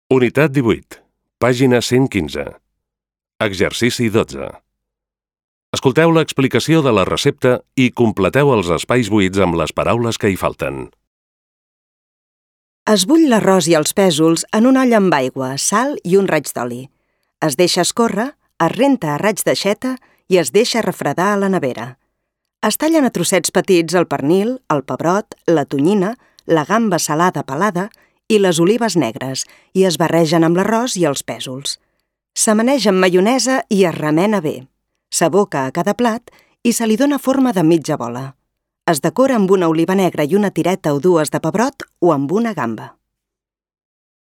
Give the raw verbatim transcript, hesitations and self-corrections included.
Unitat divuit, pàgina cent quinze. Exercici dotze. Escolteu l'explicació de la recepta i completeu els espais buits amb les paraules que hi falten. Es bull l'arròs i els pèsols en un olla amb aigua, sal i un raig d'oli. Es deixa escórrer, es renta a raig d'aixeta i es deixa refredar a la nevera. Es tallen a trossets petits el pernil, el pebrot, la tonyina, la gamba salada pelada i les olives negres i es barregen amb l'arròs i els pèsols. S'amaneix amb maionesa i es remena bé. S'aboca a cada plat i se li dóna forma de mitja bola. Es decora amb una oliva negra i una tireta o dues de pebrot o amb una gamba.